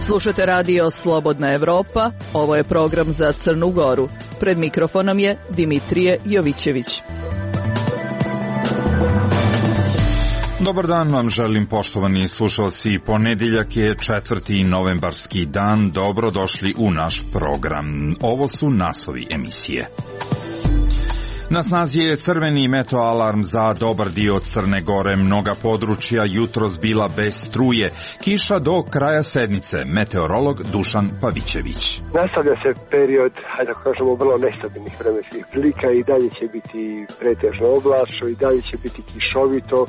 Slušate radio Slobodna Evropa, ovo je program za Crnu Goru. Pred mikrofonom je Dimitrije Jovićević. Dobar dan vam želim, poštovani slušalci. Ponedjeljak je 4. novembarski dan. Dobrodošli u naš program. Ovo su naslovi emisije. Na snazi je crveni meteoalarm za dobar dio Crne Gore. Mnoga područja jutros bila bez struje. Kiša do kraja sedmice. Meteorolog Dušan Pavićević. Nastavlja se period, hajde da kažemo, vrlo nestabilnih vremenskih prilika. I dalje će biti pretežno oblačno, i dalje će biti kišovito.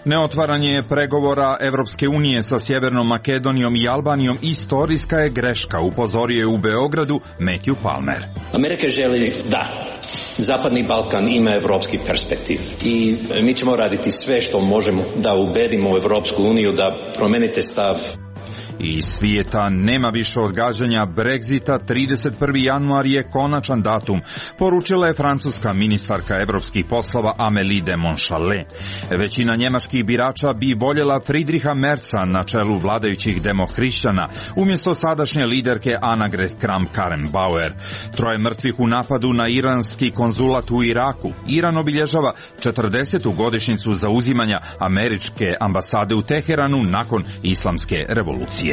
Neotvaranje pregovora Evropske unije sa Sjevernom Makedonijom i Albanijom istorijska je greška, upozorio je u Beogradu Matthew Palmer. Amerika želi da Zapadni Balkan ima evropski perspektiv i mi ćemo raditi sve što možemo da ubedimo Evropsku uniju da promenite stav. Iz svijeta nema više odgađanja Brexita, 31. januar je konačan datum, poručila je francuska ministarka evropskih poslova Amélie de Montchalin. Većina njemačkih birača bi voljela Friedricha Merza na čelu vladajućih demohrišćana, umjesto sadašnje liderke Annegret Kramp-Karrenbauer. 3 mrtvih u napadu na iranski konzulat u Iraku. Iran obilježava 40. godišnjicu zauzimanja američke ambasade u Teheranu nakon islamske revolucije.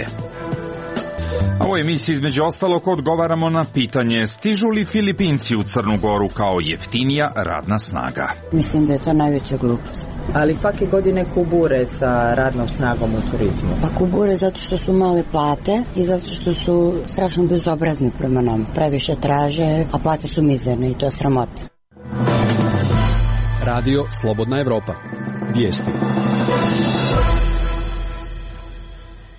A u emisiji između ostalog odgovaramo na pitanje: stižu li Filipinci u Crnu Goru kao jeftinija radna snaga? Mislim da je to najveća glupost. Ali svake godine kubure sa radnom snagom u turizmu. Pa kubure zato što su male plate i zato što su strašno bezobrazni prema nam. Previše traže, a plate su mizerne i to je sramota. Radio Slobodna Evropa. Vijesti.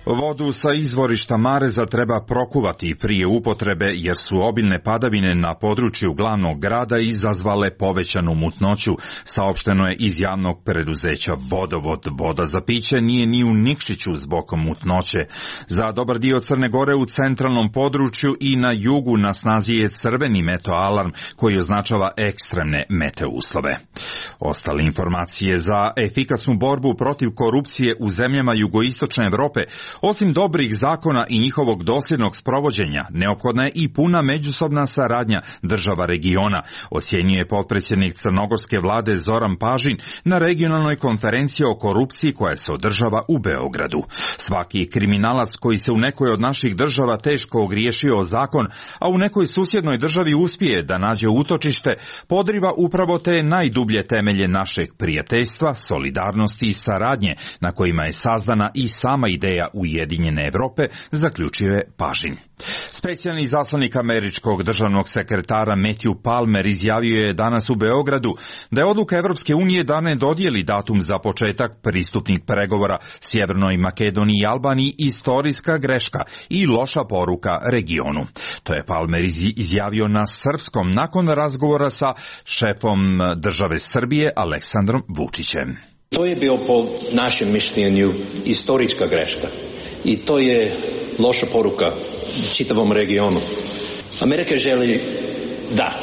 Vodu sa izvorišta Mareza treba prokuvati prije upotrebe jer su obilne padavine na području glavnog grada izazvale povećanu mutnoću, saopšteno je iz javnog preduzeća Vodovod. Voda za piće nije ni u Nikšiću zbog mutnoće. Za dobar dio Crne Gore u centralnom području i na jugu na snazi je crveni meteoalarm koji označava ekstremne meteuslove. Ostale informacije: za efikasnu borbu protiv korupcije u zemljama jugoistočne Evrope, osim dobrih zakona i njihovog dosljednog sprovođenja, neophodna je i puna međusobna saradnja država regiona, ocjenjuje potpredsjednik crnogorske vlade Zoran Pažin na regionalnoj konferenciji o korupciji koja se održava u Beogradu. Svaki kriminalac koji se u nekoj od naših država teško ogriješio o zakon, a u nekoj susjednoj državi uspije da nađe utočište, podriva upravo te najdublje temelje našeg prijateljstva, solidarnosti i saradnje na kojima je sazdana i sama ideja Ujedinjene Evrope, zaključio je Pažin. Specijalni izaslanik američkog državnog sekretara Matthew Palmer izjavio je danas u Beogradu da je odluka Evropske unije da ne dodijeli datum za početak pristupnih pregovora Sjevernoj Makedoniji i Albaniji istorijska greška i loša poruka regionu. To je Palmer izjavio na srpskom nakon razgovora sa šefom države Srbije Aleksandrom Vučićem. To je bio po našem mišljenju istorijska greška i to je loša poruka čitavom regionu. Amerika želi da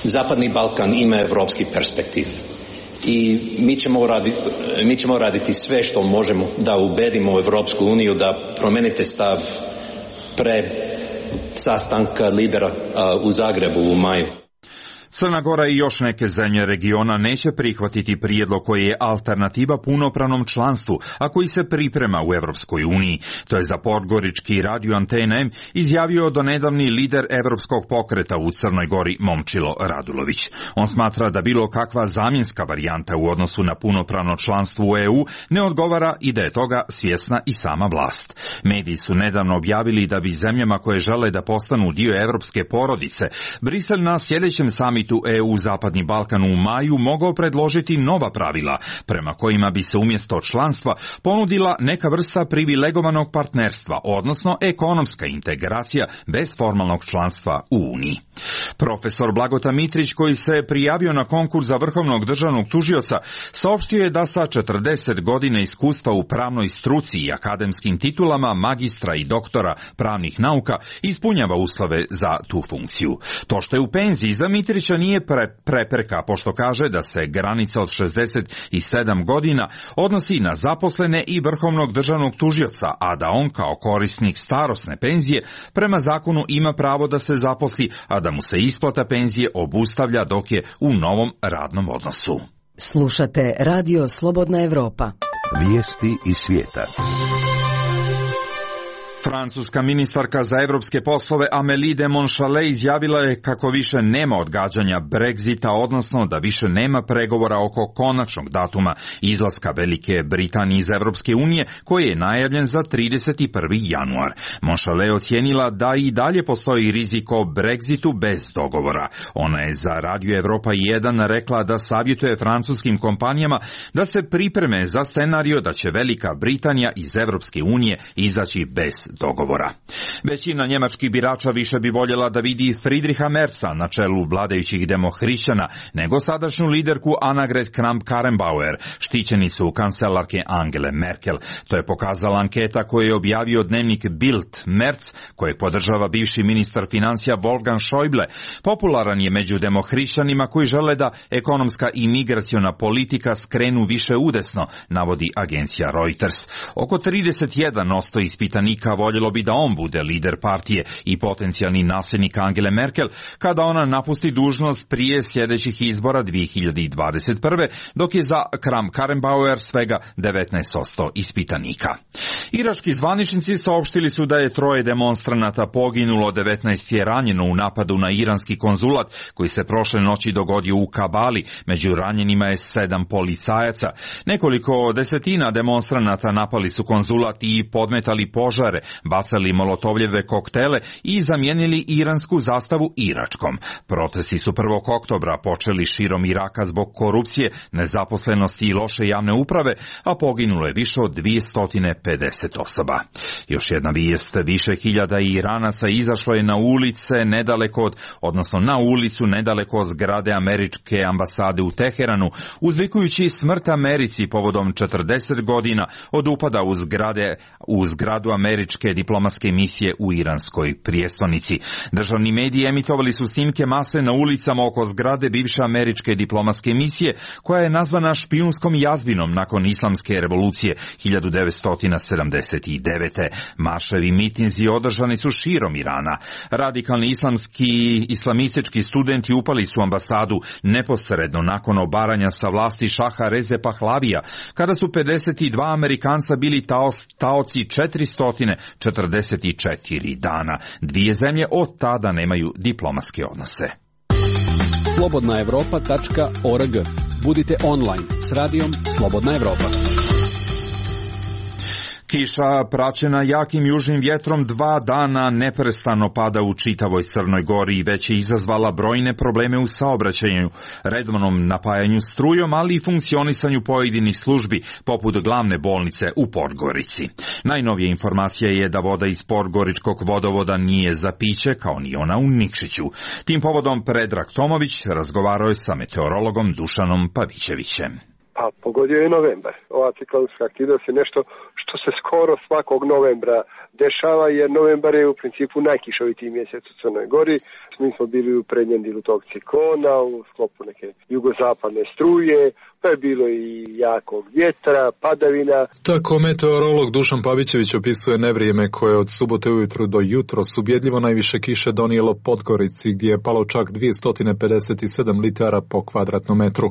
Zapadni Balkan ima evropski perspektiv i mi ćemo raditi sve što možemo da ubedimo Evropsku uniju da promenite stav pre sastanka lidera u Zagrebu u maju. Crna Gora i još neke zemlje regiona neće prihvatiti prijedlog koji je alternativa punopravnom članstvu, a koji se priprema u Evropskoj uniji. To je za podgorički radio Antena M izjavio donedavni lider Evropskog pokreta u Crnoj Gori Momčilo Radulović. On smatra da bilo kakva zamjenska varijanta u odnosu na punopravno članstvo u EU ne odgovara i da je toga svjesna i sama vlast. Mediji su nedavno objavili da bi zemljama koje žele da postanu dio evropske porodice, Brisel na sljedećem samitu EU Zapadni Balkan u maju mogao predložiti nova pravila prema kojima bi se umjesto članstva ponudila neka vrsta privilegovanog partnerstva, odnosno ekonomska integracija bez formalnog članstva u Uniji. Profesor Blagota Mitrić, koji se prijavio na konkurs za vrhovnog državnog tužioca, saopštio je da sa 40 godina iskustva u pravnoj struci i akademskim titulama magistra i doktora pravnih nauka ispunjava uslove za tu funkciju. To što je u penziji za Mitrića nije prepreka, pošto kaže da se granica od 67 godina odnosi na zaposlene i vrhovnog državnog tužioca, a da on kao korisnik starosne penzije prema zakonu ima pravo da se zaposli, a da mu se isplata penzije obustavlja dok je u novom radnom odnosu. Slušate Radio Slobodna Evropa. Vijesti iz svijeta. Francuska ministarka za evropske poslove Amélie de Montchalin izjavila je kako više nema odgađanja Brexita, odnosno da više nema pregovora oko konačnog datuma izlaska Velike Britanije iz Evropske unije, koji je najavljen za 31. januar. Montchalin ocijenila da i dalje postoji rizik o Brexitu bez dogovora. Ona je za Radio Evropa 1 rekla da savjetuje francuskim kompanijama da se pripreme za scenario da će Velika Britanija iz Evropske unije izaći bez dogovora. Većina njemačkih birača više bi voljela da vidi Friedricha Merza na čelu vladajućih demohrišćana nego sadašnju liderku Annegret Kramp-Karrenbauer, štićenicu kancelarke Angele Merkel. To je pokazala anketa koju je objavio dnevnik Bild. Merz, kojeg podržava bivši ministar financija Wolfgang Schäuble, popularan je među demohrišćanima koji žele da ekonomska i migraciona politika skrenu više udesno, navodi agencija Reuters. Oko 31% ispitanika voljelo bi da on bude lider partije i potencijalni nasljednik Angele Merkel kada ona napusti dužnost prije sljedećih izbora 2021. dok je za Kramp-Karrenbauer svega 19% ispitanika. Irački zvaničnici saopštili su da je 3 demonstranata poginulo, 19 je ranjeno u napadu na iranski konzulat koji se prošle noći dogodio u Kabali. Među ranjenima je 7 policajaca. Nekoliko desetina demonstranata napali su konzulat i podmetali požare, bacali molotovljeve koktele i zamijenili iransku zastavu iračkom. Protesti su 1. oktobra počeli širom Iraka zbog korupcije, nezaposlenosti i loše javne uprave, a poginulo je više od 250 osoba. Još jedna vijest, više hiljada Iranaca izašlo je na ulicu nedaleko od zgrade američke ambasade u Teheranu, uzvikujući smrt Americi povodom 40 godina od upada u zgradu američke diplomatske misije u iranskoj prijestolnici. Državni mediji emitovali su snimke mase na ulicama oko zgrade bivše američke diplomatske misije, koja je nazvana špijunskom jazbinom nakon islamske revolucije 1979. Marševi mitinzi održani su širom Irana. Radikalni islamistički studenti upali su ambasadu neposredno nakon obaranja sa vlasti šaha Reze Pahlavija, kada su 52 Amerikanca bili taoci 444 dana. Dvije zemlje od tada nemaju diplomatske odnose. slobodnaevropa.org. Budite online s radijom Slobodna Evropa. Kiša praćena jakim južnim vjetrom 2 dana neprestano pada u čitavoj Crnoj Gori i već je izazvala brojne probleme u saobraćaju, redovnom napajanju strujom, ali i funkcionisanju pojedinih službi, poput glavne bolnice u Podgorici. Najnovija informacija je da voda iz Podgoričkog vodovoda nije za piće, kao ni ona u Nikšiću. Tim povodom Predrag Tomović razgovarao je sa meteorologom Dušanom Pavićevićem. Pa pogodio je novembar. Ova ciklonska aktivnost je nešto što se skoro svakog novembra dešava, jer novembar je u principu najkišovitiji mjesec u Crnoj Gori. Mi smo bili u prednjem dilu tog ciklona, u sklopu neke jugozapadne struje, pa je bilo i jakog vjetra, padavina. Tako meteorolog Dušan Pavićević opisuje nevrijeme koje od subote ujutru do jutros ubjedljivo najviše kiše donijelo Podgorici, gdje je palo čak 257 litara po kvadratnom metru.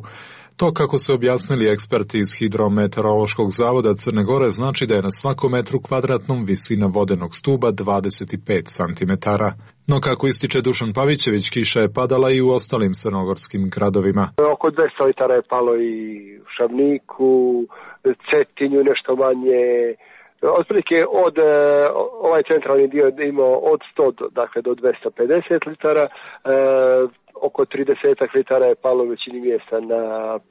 To, kako se objasnili eksperti iz Hidrometeorološkog zavoda Crne Gore, znači da je na svakom metru kvadratnom visina vodenog stuba 25 cm. No, kako ističe Dušan Pavićević, kiša je padala i u ostalim crnogorskim gradovima. Oko 200 litara je palo i u Šabniku, Cetinju nešto manje. Otprilike ovaj centralni dio imao od 100 do 250 litara. oko 30 litara je palo u većini mjesta na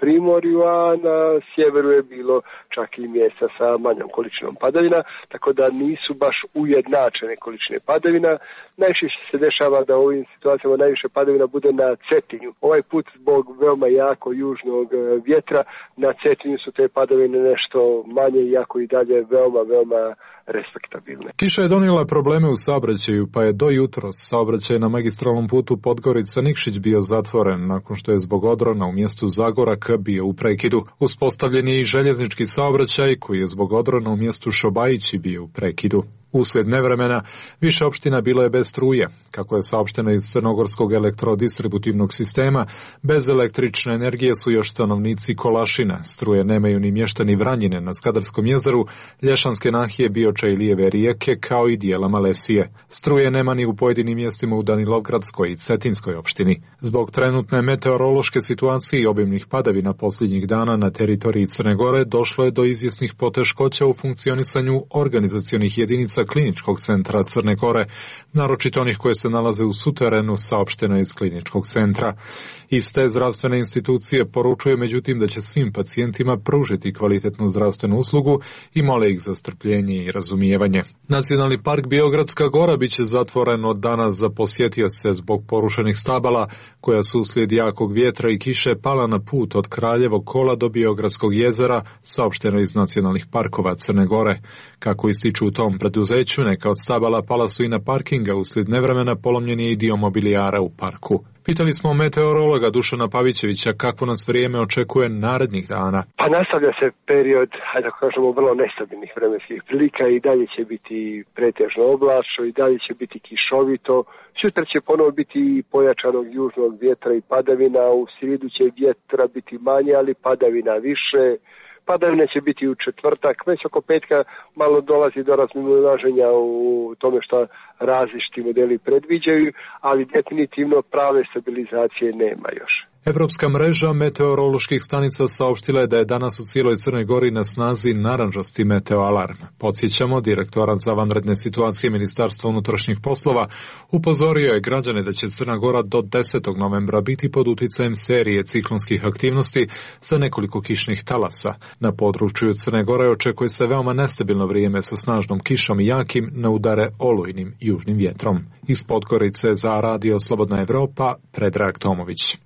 primorju, a na sjeveru je bilo čak i mjesta sa manjom količinom padavina, tako da nisu baš ujednačene količine padavina. Najčešće se dešava da u ovim situacijama najviše padavina bude na Cetinju. Ovaj put zbog veoma jako južnog vjetra na Cetinju su te padavine nešto manje, iako i dalje veoma respektabilne. Kiša je donijela probleme u saobraćaju, pa je do jutros saobraćaj na magistralnom putu Podgorica-Nikšić bio zatvoren, nakon što je zbog odrona u mjestu Zagorak bio u prekidu. Uspostavljen je i željeznički saobraćaj, koji je zbog odrona u mjestu Šobajići bio u prekidu. Uslijed nevremena, više opština bilo je bez struje. Kako je saopšteno iz Crnogorskog elektrodistributivnog sistema, bez električne energije su još stanovnici Kolašina. Struje nemaju ni mještani Vranjine na Skadarskom jezeru, Lješanske nahije, Bioča i Lijeve rijeke, kao i dijela Malesije. Struje nema ni u pojedinim mjestima u Danilovgradskoj i Cetinskoj opštini. Zbog trenutne meteorološke situacije i obimnih padavina posljednjih dana na teritoriji Crne Gore došlo je do izvjesnih poteškoća u funkcionisanju organizacionih jedinica Kliničkog centra Crne Gore, naročito onih koje se nalaze u suterenu, saopšteno iz Kliničkog centra. Iste zdravstvene institucije poručuje međutim da će svim pacijentima pružiti kvalitetnu zdravstvenu uslugu i mole ih za strpljenje i razumijevanje. Nacionalni park Biogradska Gora biće zatvoren od danas za posjetioce zbog porušenih stabala koja su uslijed jakog vjetra i kiše pala na put od Kraljevog kola do Biogradskog jezera, saopšteno iz nacionalnih parkova Crne Gore. Kako ističu u tom preduzeću, neka od stabala pala su i na parkinga, uslijed nevremena polomljen je i dio mobilijara u parku. Pitali smo meteorologa Dušana Pavićevića kako nas vrijeme očekuje narednih dana. Pa nastavlja se period, hajde da kažemo, vrlo nestabilnih vremenskih prilika i dalje će biti pretežno oblačno i dalje će biti kišovito. Sutra će ponovo biti pojačanog južnog vjetra i padavina, u srijedu će vjetra biti manje, ali padavina više. Padavine će biti u četvrtak, već oko petka malo dolazi do razmimoilaženja u tome što različiti modeli predviđaju, ali definitivno prave stabilizacije nema još. Evropska mreža meteoroloških stanica saopštila je da je danas u cijeloj Crnoj Gori na snazi narančasti meteoalarm. Podsjećamo, direktorat za vanredne situacije Ministarstva unutrašnjih poslova upozorio je građane da će Crna Gora do 10. novembra biti pod uticajem serije ciklonskih aktivnosti sa nekoliko kišnih talasa. Na području Crne Gore očekuje se veoma nestabilno vrijeme sa snažnom kišom i jakim na udare olujnim južnim vjetrom. Iz Podgorice za Radio Slobodna Evropa, Predrag Tomović.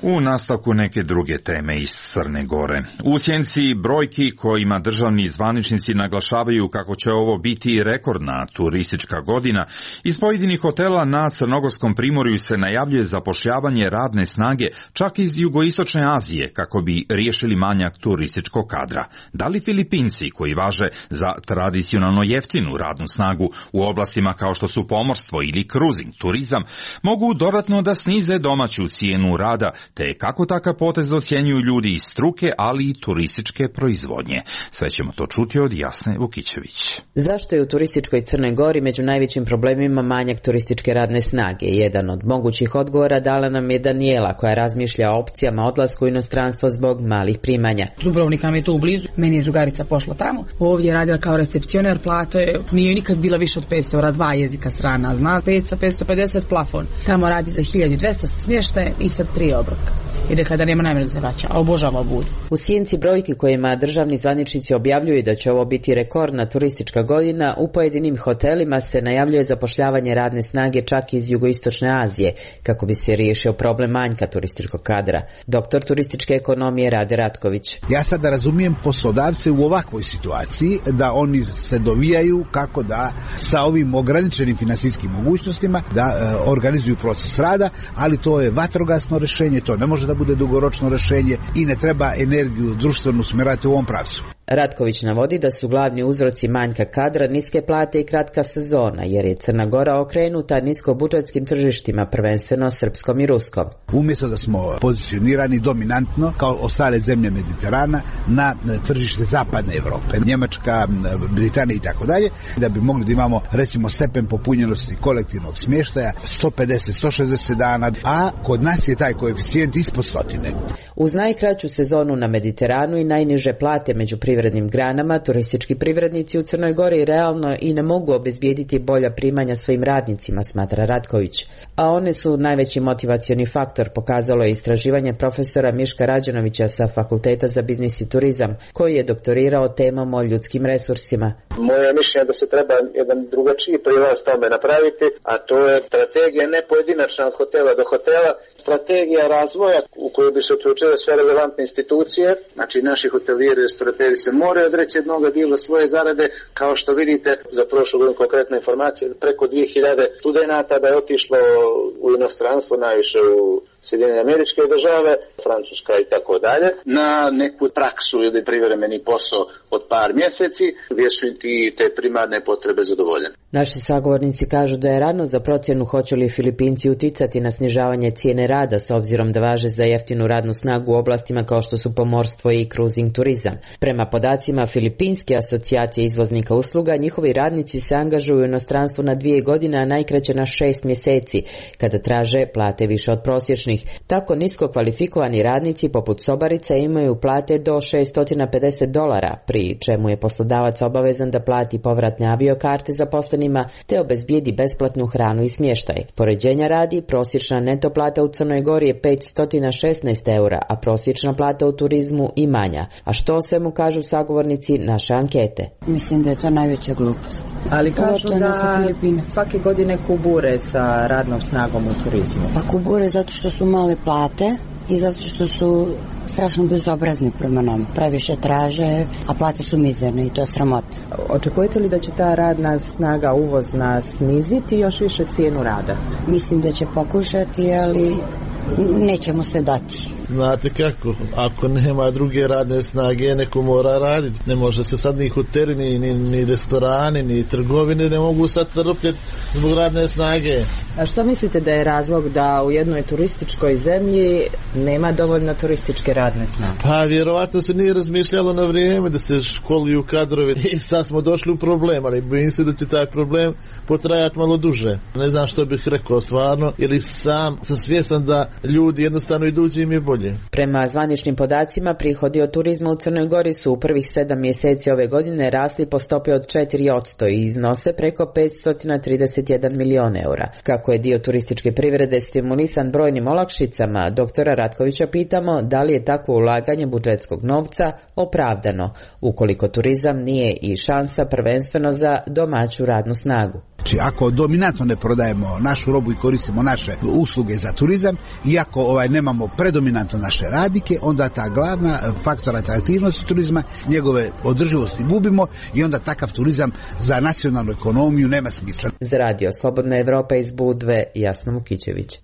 U nastavku neke druge teme iz Crne Gore. U sjenci brojki kojima državni zvaničnici naglašavaju kako će ovo biti rekordna turistička godina, iz pojedinih hotela na Crnogorskom primorju se najavljuje zapošljavanje radne snage čak iz jugoistočne Azije kako bi riješili manjak turističkog kadra. Da li Filipinci, koji važe za tradicionalno jeftinu radnu snagu u oblastima kao što su pomorstvo ili kruzing, turizam, mogu dodatno da snize domaću cijenu rada, te kako takav potez ocjenjuju ljudi iz struke, ali i turističke proizvodnje. Sve ćemo to čuti od Jasne Vukićević. Zašto je u turističkoj Crnoj Gori među najvećim problemima manjak turističke radne snage? Jedan od mogućih odgovora dala nam je Danijela, koja razmišlja o opcijama odlasku u inostranstvo zbog malih primanja. Dubrovnik nam je tu blizu, meni je drugarica pošla tamo. Ovdje je radila kao recepcioner, plata je, nije nikad bila više od 500 eura, 2 jezika strana, zna 550 plafon. Tamo radi za 1200 sa smještajem i sa 3 obroka. I rekla da nema namjeru da se vraća, a obožava Budu. U sjenci brojki kojima državni zvaničnici objavljuju da će ovo biti rekordna turistička godina, u pojedinim hotelima se najavljuje zapošljavanje radne snage čak iz jugoistočne Azije, kako bi se riješio problem manjka turističkog kadra. Doktor turističke ekonomije Rade Ratković. Ja sad razumijem poslodavce u ovakvoj situaciji, da oni se dovijaju kako da sa ovim ograničenim finansijskim mogućnostima da organizuju proces rada, ali to je vatrogasno rješenje, to ne može da bude dugoročno rješenje i ne treba energiju društvenu usmjerati u ovom pravcu. Ratković navodi da su glavni uzroci manjka kadra niske plate i kratka sezona, jer je Crna Gora okrenuta niskobudžetskim tržištima, prvenstveno srpskom i ruskom. Umjesto da smo pozicionirani dominantno, kao ostale zemlje Mediterana, na tržište zapadne Europe, Njemačka, Britanija i tako dalje, da bi mogli da imamo recimo stepen popunjenosti kolektivnog smještaja 150-160 dana, a kod nas je taj koeficijent ispod 100. Uz najkraću sezonu na Mediteranu i najniže plate među privatnim privrednim granama, turistički privrednici u Crnoj Gori realno i ne mogu obezbijediti bolja primanja svojim radnicima, smatra Ratković. A one su najveći motivacioni faktor, pokazalo je istraživanje profesora Miška Rađanovića sa Fakulteta za biznis i turizam, koji je doktorirao temom o ljudskim resursima. Moje mišljenje da se treba jedan drugačiji prilaz tome napraviti, a to je strategija ne pojedinačna od hotela do hotela, strategija razvoja u kojoj bi se uključile sve relevantne institucije. Znači naši hotelijeri i restorateri se moraju odreći jednog dijela svoje zarade, kao što vidite za prošlu godinu konkretna informacija, preko 2000 studenata da je otišlo u inostranstvo, najviše u Sjedinjene Američke Države, Francuska i tako dalje, na neku praksu ili privremeni posao od par mjeseci gdje su i te primarne potrebe zadovoljene. Naši sagovornici kažu da je rano za procjenu hoće li Filipinci uticati na snižavanje cijene rada s obzirom da važe za jeftinu radnu snagu u oblastima kao što su pomorstvo i cruising turizam. Prema podacima Filipinske asocijacije izvoznika usluga, njihovi radnici se angažuju u inostranstvu na 2 godine, a najkraće na 6 mjeseci, kada traže plate više od prosječnih. Tako nisko kvalifikovani radnici poput sobarica imaju plate do $650, pri čemu je poslodavac obavezan da plati povratne aviokarte zaposlenima te obezbijedi besplatnu hranu i smještaj. Poređenja radi, prosječna neto plata u Crnoj Gori je €516, a prosječna plata u turizmu i manja. A što o svemu kažu sagovornici naše ankete? Mislim da je to najveća glupost. Ali kažu da svake godine kubure sa radnom snagom u turizmu. Pa kubure zato što su male plate i zato što su strašno bezobrazni prema nam. Previše traže, a plate su mizerne i to je sramota. Očekujete li da će ta radna snaga uvozna sniziti još više cijenu rada? Mislim da će pokušati, ali nećemo se dati. Znate kako, ako nema druge radne snage, neko mora raditi. Ne može se sad ni hoteli, ni restorani, ni trgovine ne mogu sad trpjeti zbog radne snage. A što mislite da je razlog da u jednoj turističkoj zemlji nema dovoljno turističke radne snage? Pa vjerovatno se nije razmišljalo na vrijeme da se školuju kadrovi i sad smo došli u problem, ali bojim se da će taj problem potrajati malo duže. Ne znam što bih rekao stvarno, ili sam svjestan da ljudi jednostavno idući im je bolje. Prema zvaničnim podacima, prihodi od turizma u Crnoj Gori su u prvih 7 mjeseci ove godine rasli po stopi od 4% i iznose preko 531 milion eura. Kako je dio turističke privrede stimulisan brojnim olakšicama, doktora Ratkovića pitamo da li je takvo ulaganje budžetskog novca opravdano, ukoliko turizam nije i šansa prvenstveno za domaću radnu snagu. Znači, ako dominantno ne prodajemo našu robu i koristimo naše usluge za turizam, i ako nemamo predominantno naše radnike, onda ta glavna faktor atraktivnosti turizma, njegove održivosti gubimo i onda takav turizam za nacionalnu ekonomiju nema smisla. Za radio Slobodna Evropa iz Budve, Jasna Vukićević.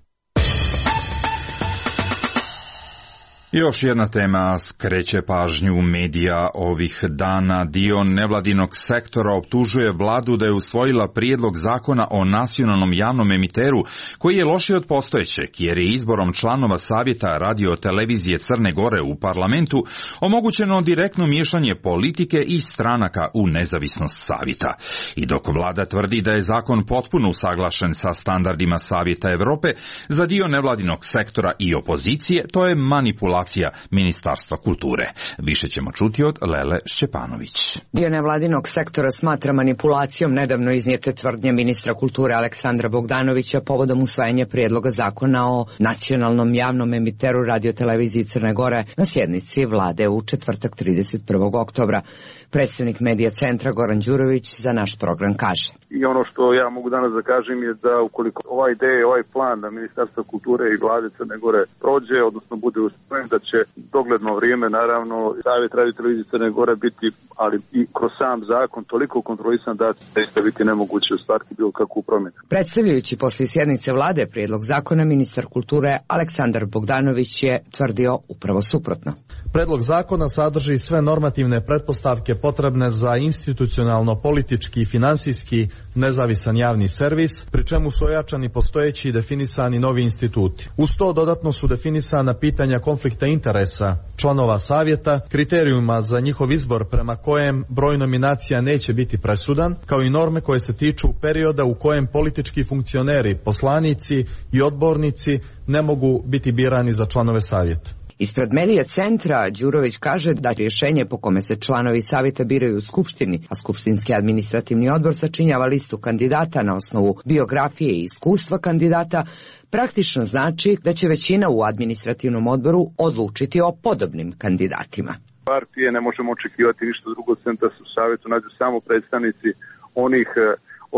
Još jedna tema skreće pažnju medija ovih dana. Dio nevladinog sektora optužuje vladu da je usvojila prijedlog zakona o nacionalnom javnom emiteru koji je lošiji od postojećeg, jer je izborom članova savjeta radio-televizije Crne Gore u parlamentu omogućeno direktno miješanje politike i stranaka u nezavisnost savjeta. I dok vlada tvrdi da je zakon potpuno usaglašen sa standardima Savjeta Europe, za dio nevladinog sektora i opozicije to je manipulacija Ministarstva kulture. Više ćemo čuti od Lele Šćepanović. Dio nevladinog sektora smatra manipulacijom nedavno iznijete tvrdnje ministra kulture Aleksandra Bogdanovića povodom usvajanja prijedloga zakona o nacionalnom javnom emiteru radioteleviziji Crne Gore na sjednici vlade u četvrtak 31. oktobra. Predstavnik medija centra Goran Đurović za naš program kaže. I ono što ja mogu danas da kažem je da ukoliko ova ideja, ovaj plan da Ministarstva kulture i vlade Crne Gore prođe, odnosno bude usvojen, da će dogledno vrijeme, naravno, Savjet radiotelevizije Crne Gore biti, ali i kroz sam zakon, toliko kontrolisan da će biti nemoguće ostvariti bilo kakvu promjenu. Predstavljajući poslije sjednice vlade prijedlog zakona, ministar kulture Aleksandar Bogdanović je tvrdio upravo suprotno. Predlog zakona sadrži sve normativne pretpostavke potrebne za institucionalno, politički i finansijski nezavisan javni servis, pri čemu su ojačani postojeći i definisani novi instituti. Uz to dodatno su definisana pitanja konflikta interesa članova savjeta, kriterijuma za njihov izbor prema kojem broj nominacija neće biti presudan, kao i norme koje se tiču perioda u kojem politički funkcioneri, poslanici i odbornici ne mogu biti birani za članove savjeta. Ispred Medija centra Đurović kaže da rješenje po kome se članovi savjeta biraju u Skupštini, a Skupštinski administrativni odbor sačinjava listu kandidata na osnovu biografije i iskustva kandidata, praktično znači da će većina u administrativnom odboru odlučiti o podobnim kandidatima. Partije ne možemo očekivati ništa drugo, da se u savjetu nađu samo predstavnici onih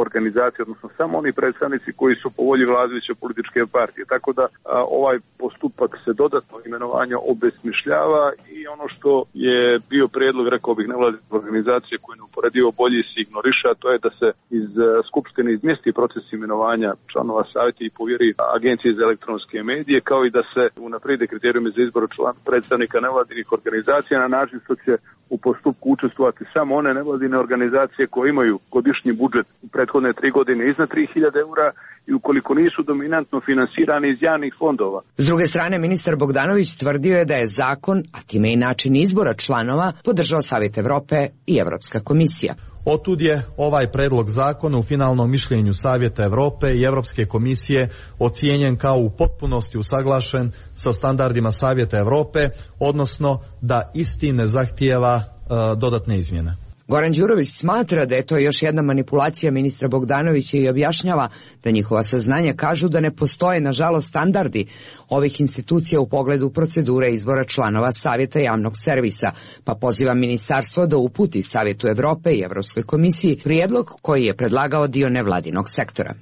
organizacije, odnosno samo oni predstavnici koji su po volji vladajuće političke partije. Tako da ovaj postupak se dodatno imenovanja obesmišljava i ono što je bio prijedlog, rekao bih, nevladine organizacije koje neuporedivo bolje se ignoriše, a to je da se iz Skupštine izmjesti proces imenovanja članova savjeta i povjeri Agenciji za elektronske medije, kao i da se unaprijede kriterijumi za izbor predstavnika nevladinih organizacija na način što će u postupku učestvovati samo one nevladine organizacije koje imaju godišnji budžet u prethodne 3 godine iznad 3.000 eura i ukoliko nisu dominantno finansirani iz javnih fondova. S druge strane, ministar Bogdanović tvrdio je da je zakon, a time i način izbora članova, podržao Savjet Evrope i Evropska komisija. Otud je ovaj predlog zakona u finalnom mišljenju Savjeta Evrope i Evropske komisije ocijenjen kao u potpunosti usaglašen sa standardima Savjeta Evrope, odnosno da isti ne zahtijeva dodatne izmjene. Goran Đurović smatra da je to još jedna manipulacija ministra Bogdanovića i objašnjava da njihova saznanja kažu da ne postoje, nažalost, standardi ovih institucija u pogledu procedure izbora članova Savjeta javnog servisa, pa poziva ministarstvo da uputi Savjetu Evrope i Evropskoj komisiji prijedlog koji je predlagao dio nevladinog sektora.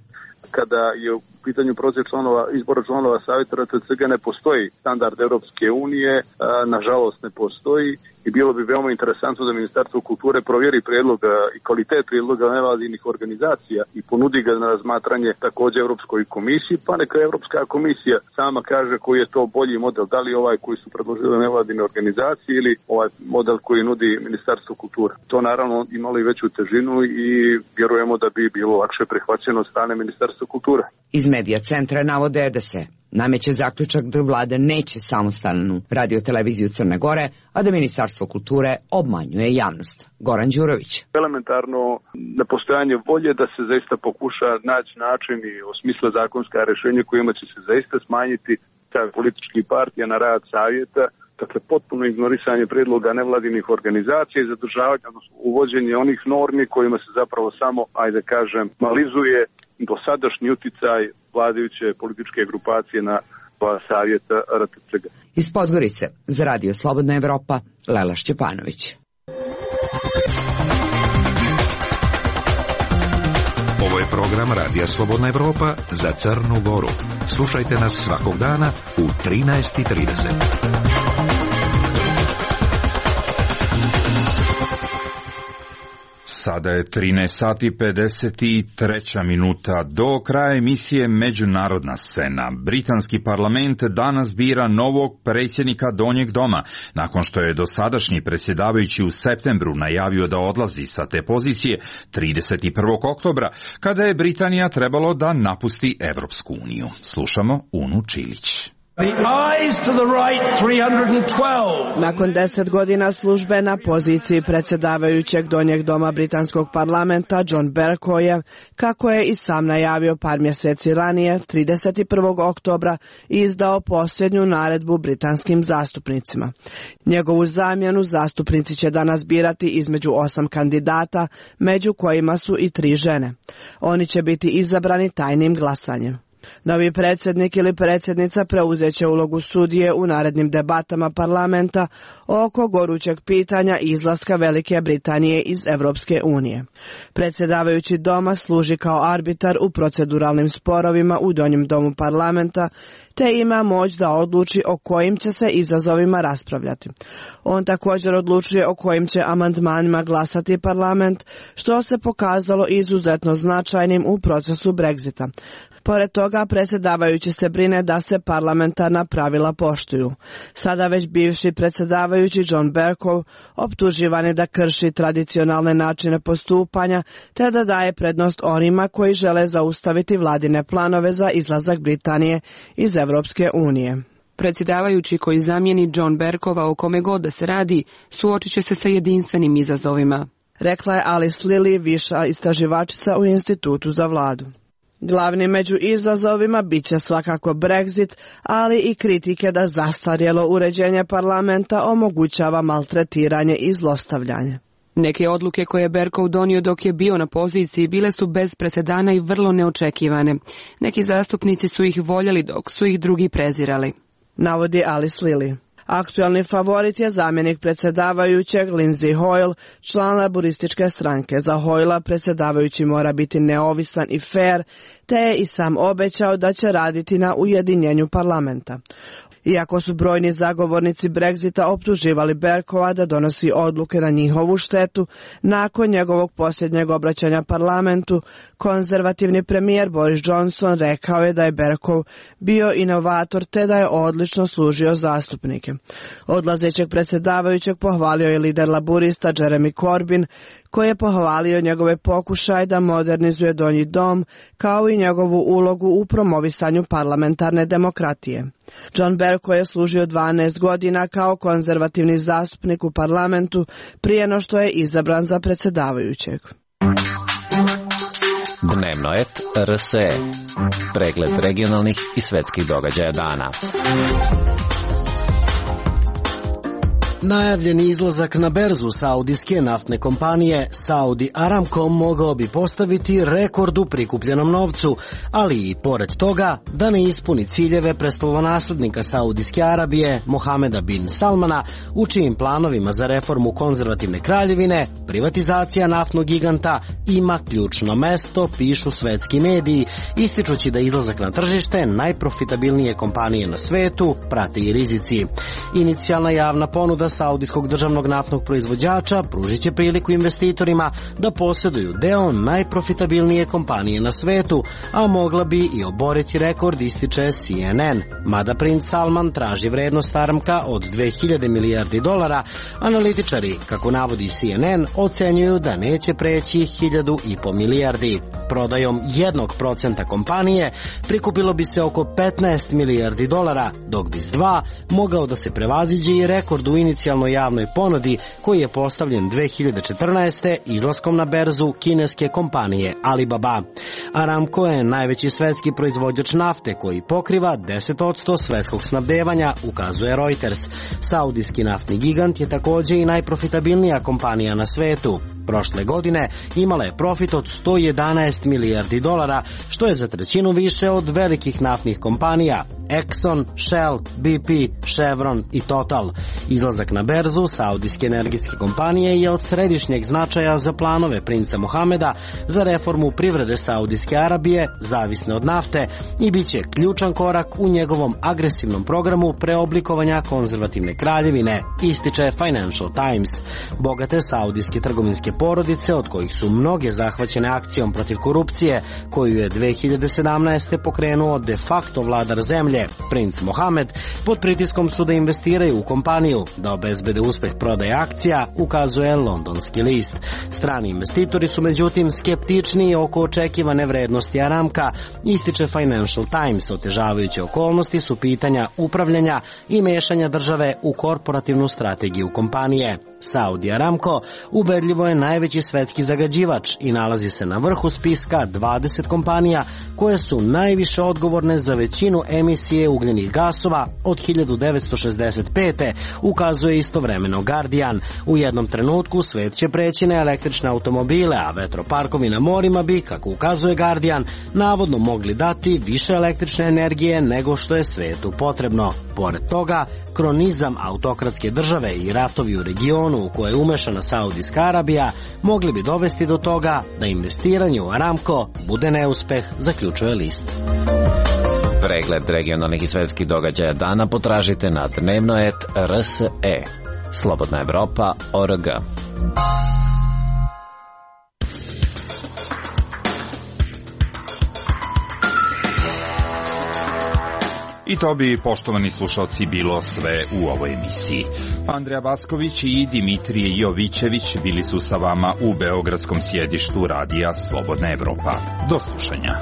Kada je u pitanju proces izbora članova Savjeta RTCG ne postoji standard Europske unije, nažalost ne postoji i bilo bi veoma interesantno da Ministarstvo kulture provjeri prijedloga i kvalitet prijedloga nevladinih organizacija i ponudi ga na razmatranje također Europskoj komisiji, pa neka Europska komisija sama kaže koji je to bolji model, da li ovaj koji su predložile nevladine organizacije ili ovaj model koji nudi Ministarstvo kulture. To naravno imalo i veću težinu i vjerujemo da bi bilo lakše prihvaćeno od strane Ministarstva kulture. Iz Medija centra navode da se nameće zaključak da vlada neće samostalnu radioteleviziju Crne Gore, a da Ministarstvo kulture obmanjuje javnost. Goran Đurović. Elementarno nepostojanje volje da se zaista pokuša naći način i osmisle zakonska rješenja kojima će se zaista smanjiti političkih partija na rad savjeta, dakle potpuno ignorisanje prijedloga nevladinih organizacija i zadržavanje, odnosno uvođenje onih normi kojima se zapravo samo, ajde kažem, malizuje dosadašnji uticaj vladajuće političke grupacije na savjeta RTCG. Iz Podgorice za Radio Slobodna Evropa, Lela Šćepanović. Ovo je program Radija Slobodna Evropa za Crnu Goru. Slušajte nas svakog dana u 13:30. Sada je 13:53. Do kraja emisije Međunarodna scena. Britanski parlament danas bira novog predsjednika Donjeg doma, nakon što je dosadašnji predsjedavajući u septembru najavio da odlazi sa te pozicije 31. oktobra, kada je Britanija trebalo da napusti Evropsku uniju. Slušamo Unu Čilić. Nakon 10 godina službe na poziciji predsjedavajućeg Donjeg doma britanskog parlamenta, John Bercow je, kako je i sam najavio par mjeseci ranije, 31. oktobra izdao posljednju naredbu britanskim zastupnicima. Njegovu zamjenu zastupnici će danas birati između 8 kandidata, među kojima su i 3 žene. Oni će biti izabrani tajnim glasanjem. Novi predsjednik ili predsjednica preuzet će ulogu sudije u narednim debatama parlamenta oko gorućeg pitanja izlaska Velike Britanije iz Europske unije. Predsjedavajući doma služi kao arbitar u proceduralnim sporovima u Donjem domu parlamenta, te ima moć da odluči o kojim će se izazovima raspravljati. On također odlučuje o kojim će amandmanima glasati parlament, što se pokazalo izuzetno značajnim u procesu Brexita. Pored toga, predsjedavajući se brine da se parlamentarna pravila poštuju. Sada već bivši predsjedavajući John Bercow optuživan je da krši tradicionalne načine postupanja, te da daje prednost onima koji žele zaustaviti vladine planove za izlazak Britanije iz Europske unije. Predsjedavajući koji zamijeni John Bercova o kome god da se radi, suočit će se sa jedinstvenim izazovima, rekla je Alice Lilly, viša istraživačica u Institutu za vladu. Glavni među izazovima bit će svakako Brexit, ali i kritike da zastarjelo uređenje parlamenta omogućava maltretiranje i zlostavljanje. Neke odluke koje je Berkov donio dok je bio na poziciji bile su bez presedana i vrlo neočekivane. Neki zastupnici su ih voljeli dok su ih drugi prezirali, navodi Alice Lilly. Aktualni favorit je zamjenik predsjedavajućeg Lindsay Hoyle, član laburističke stranke. Za Hoyla predsjedavajući mora biti neovisan i fair, te je i sam obećao da će raditi na ujedinjenju parlamenta. Iako su brojni zagovornici Brexita optuživali Berkova da donosi odluke na njihovu štetu, nakon njegovog posljednjeg obraćanja parlamentu, konzervativni premijer Boris Johnson rekao je da je Berkov bio inovator te da je odlično služio zastupnike. Odlazećeg predsjedavajućeg pohvalio je lider laburista Jeremy Corbyn, koji je pohvalio njegove pokušaje da modernizuje donji dom, kao i njegovu ulogu u promovisanju parlamentarne demokratije. John Bercow je služio 12 godina kao konzervativni zastupnik u parlamentu prije no što je izabran za predsjedavajućeg. Dnevno et RSE. Pregled regionalnih i svetskih događaja dana. Najavljeni izlazak na berzu saudijske naftne kompanije Saudi Aramco mogao bi postaviti rekord u prikupljenom novcu, ali i pored toga da ne ispuni ciljeve prestolonaslednika Saudijske Arabije Mohameda bin Salmana, u čijim planovima za reformu konzervativne kraljevine privatizacija naftnog giganta ima ključno mesto, pišu svetski mediji, ističući da izlazak na tržište najprofitabilnije kompanije na svetu prate i rizici. Inicijalna javna ponuda saudijskog državnog naftnog proizvođača pružit će priliku investitorima da posjeduju deo najprofitabilnije kompanije na svetu, a mogla bi i oboriti rekord, ističe CNN. Mada princ Salman traži vrednost Aramca od 2000 milijardi dolara, analitičari, kako navodi CNN, ocenjuju da neće preći 1.500 milijardi. Prodajom 1% kompanije prikupilo bi se oko 15 milijardi dolara, dok bi s 2 mogao da se prevaziđe i rekord u inicijalnoj javnoj ponudi koji je postavljen 2014. izlaskom na berzu kineske kompanije Alibaba. Aramco je najveći svetski proizvođač nafte koji pokriva 10% svetskog snabdevanja, ukazuje Reuters. Saudijski naftni gigant je također i najprofitabilnija kompanija na svetu. Prošle godine imala je profit od 111 milijardi dolara, što je za trećinu više od velikih naftnih kompanija Exxon, Shell, BP, Chevron i Total. Izlazak na berzu saudijske energetske kompanije je od središnjeg značaja za planove princa Mohameda za reformu privrede Saudijske Arabije, zavisne od nafte, i bit će ključan korak u njegovom agresivnom programu preoblikovanja konzervativne kraljevine, ističe Financial Times. Bogate saudijske trgovinske porodice, od kojih su mnoge zahvaćene akcijom protiv korupcije, koju je 2017. pokrenuo de facto vladar zemlje, princ Mohamed, pod pritiskom su da investiraju u kompaniju, da obezbede uspeh prodaje akcija, ukazuje londonski list. Strani investitori su međutim skeptičniji oko očekivane vrednosti Aramca, ističe Financial Times. Otežavajuće okolnosti su pitanja upravljanja i mešanja države u korporativnu strategiju kompanije. Saudi Aramco ubedljivo je najveći svetski zagađivač i nalazi se na vrhu spiska 20 kompanija koje su najviše odgovorne za većinu emisije ugljenih gasova od 1965. ukazuje istovremeno Guardian. U jednom trenutku svet će preći na električne automobile, a vetroparkovi na morima bi, kako ukazuje Guardian, navodno mogli dati više električne energije nego što je svetu potrebno. Pored toga, kronizam autokratske države i ratovi u regionu u koje je umešana Saudijska Arabija mogli bi dovesti do toga da investiranje u Aramco bude neuspeh, zaključuje list. Pregled regionalnih i svetskih događaja dana potražite na dnevnoet.rse. Slobodna Evropa.org. I to bi, poštovani slušalci, bilo sve u ovoj emisiji. Andreja Vasković i Dimitrije Jovićević bili su sa vama u beogradskom sjedištu radija Slobodna Evropa. Do slušanja.